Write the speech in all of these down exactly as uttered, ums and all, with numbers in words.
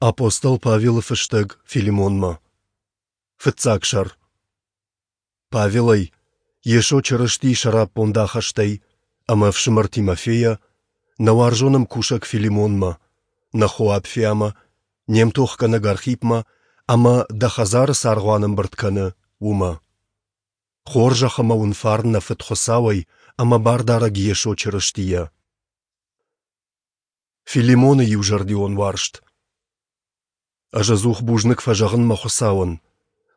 Апостол Павелы фыстӕг Филимонмӕ. Фыццаг сӕр. Павелӕй, Йесо Чырыстийы сӕраппонд ахӕстӕй ӕмӕ ӕфсымӕр Тимофейӕ, нӕ уарзон ӕмкусӕг Филимонмӕ, нӕ хо Апфиамӕ, не мтохгӕнӕг Архипмӕ ӕмӕ, дӕ хӕдзары цы аргъуан ӕмбырд кӕны, уымӕ. Хорзӕх ӕмӕ уын фарн нӕ Фыд Хуыцауӕй ӕмӕ Бардарӕг Йесо Чырыстийӕ. Филимоны иузӕрдион уарзт. Ӕз ӕдзух бузныг фӕзӕгъын мӕ Хуыцауӕн,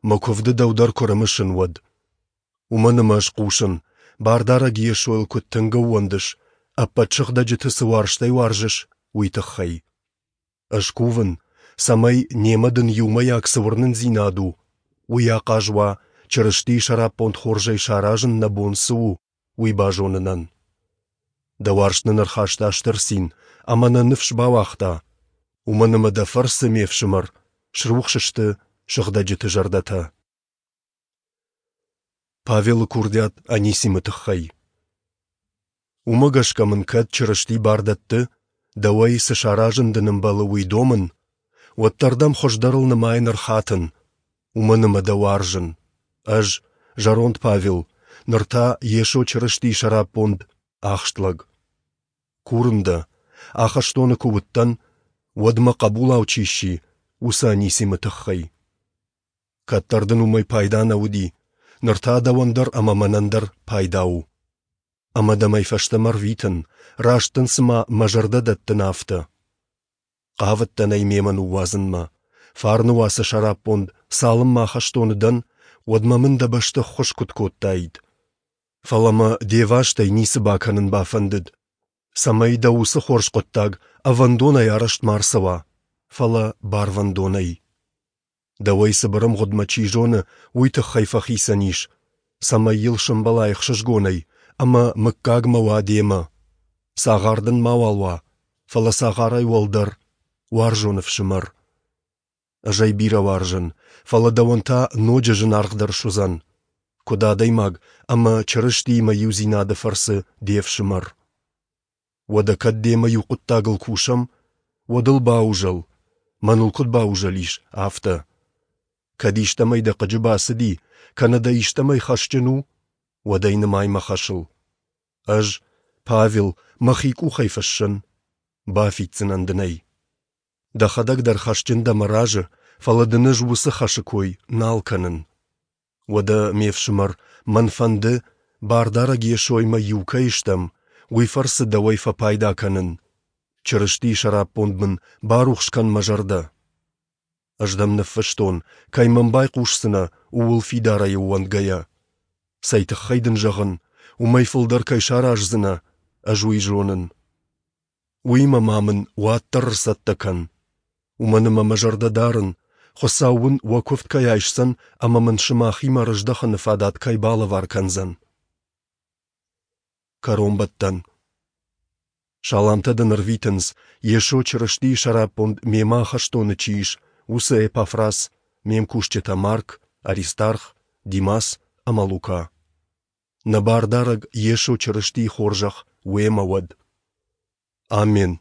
мӕ куывды дӕу дӕр куы рымысын, уӕд. Уымӕн ӕмӕ ӕз хъусын, Бардарӕг Йесойыл куыд тынг ӕууӕндыс, ӕппӕт сыгъдӕджыты цы уарзтӕй уарзыс, уый тыххӕй. Ӕз кувын, цӕмӕй, немӕ дын иумӕйаг цы уырнындзинад у, уый ахъаз уа, Чырыстийы сӕраппонд хорзӕй саразын нӕ бон цы у, уый базонынӕн. Дӕ уарзт нын ӕрхаста стыр цин ӕмӕ нӕ ныфс бауагъта, уымӕн ӕмӕ дӕ фӕрцы, ме фсымӕр, срухс сты сыгъдӕджыты зӕрдӕтӕ. Павелы курдиат Анисимы тыххӕй. Уымӕ гӕсгӕ мын кӕд Чырысти бар дӕтты, дӕуӕй цы саразын дын ӕмбӕлы, уый домын, уӕддӕр дӕм хуыздӕрыл нымайын ӕрхатын, уымӕн ӕмӕ дӕ уарзын. Ӕз, зӕронд Павел, ныр та Йесо Чырыстийы сӕраппонд ахст лӕг. Курын дӕ, ахӕстоны куы уыдтӕн, уӕд мӕ хъӕбулау чи сси, уыцы Анисимы тыххӕй. Кӕддӕр дын уымӕй пайда нӕ уыди, ныр та дӕуӕн дӕр ӕмӕ мӕнӕн дӕр пайда у. Ӕмӕ дӕм ӕй фӕстӕмӕ рвитын, раст дын цыма мӕ зӕрдӕ дӕттын, афтӕ. Хъавыдтӕн ӕй мемӕ ныууадзынмӕ. Фарны уацы сӕраппонд, цалынмӕ ахӕстоны дӕн, уӕдмӕ мын дӕ бӕсты ххуыс куыд кодтаид. Фӕлӕ мӕ де вастӕй ницы бакӕнын бафӕндыд, цӕмӕй дӕ уыцы хорз хъуыддаг ӕвӕндонӕй арӕзт ма рцӕуа, фӕлӕ барвӕндонӕй. Дӕуӕй цыбыр ӕмгъуыдмӕ чи зоны, уый тыххӕй фӕхицӕн ис, цӕмӕй йыл сӕмбӕлай ӕхсызгонӕй ӕмӕ мыггагмӕ уа демӕ. Цагъар дын мауал уа, фӕлӕ цагъарӕй уӕлдӕр, уарзон ӕфсымӕр. Ӕз ӕй бирӕ уарзын, фӕлӕ дӕуӕн та ноджы зынаргъдӕр суыдзӕн, куыд адӕймаг ӕмӕ Чырыстиимӕ иудзинады фӕрцы де фсымӕр. Уӕдӕ кӕд демӕ иу хъуыддагыл кусӕм, уӕд ыл баузӕл, мӕныл куыд баузӕлис, афтӕ. Кӕд истӕмӕй дӕ хъыджы бацыди, кӕнӕ дӕ истӕмӕй хӕсджын у, уӕд ӕй нымай мӕ хӕсыл. Ӕз, Павел, мӕхи къухӕй фыссын, бафиддзынӕн дын ӕй. Дӕхӕдӕг дӕр хӕсджын дӕ мӕ разы, фӕлӕ дын ӕз уыцы хӕсы кой нал кӕнын. Уӕдӕ, ме фсымӕр, мӕн фӕнды, Бардарӕг Йесоимӕ иу кӕй стӕм, уый фӕрцы дӕуӕй фӕпайда кӕнын. Чырыстийы сӕраппонд мын барухс кӕн мӕ зӕрдӕ. Ӕз дӕм ныффыстон, кӕй мӕм байхъусдзынӕ, ууыл фидарӕй ӕууӕндгӕйӕ. Цӕй тыххӕй дын зӕгъын, уымӕй фылдӕр кӕй сараздзынӕ, ӕз уый зонын. Уыимӕ ма мын уӕддӕр ӕрцӕттӕ кӕн. Уымӕн ӕмӕ мӕ зӕрдӕ дарын, Хуыцау уын уӕ куывд кӕй айсдзӕн ӕмӕ мын сымахимӕ рыздӕхыны фадат кӕй балӕвар кӕндзӕн. Кӕронбӕттӕн. Саламтӕ дын ӕрвитынц, Йесо Чырыстийы сӕраппонд мемӕ ахӕстоны чи ис, уыцы Эпафрас, ме мкусджытӕ Марк, Аристарх, Димас ӕмӕ Лука. Нӕ Бардарӕг Йесо Чырыстийы хорзӕх уемӕ уӕд. Аммен.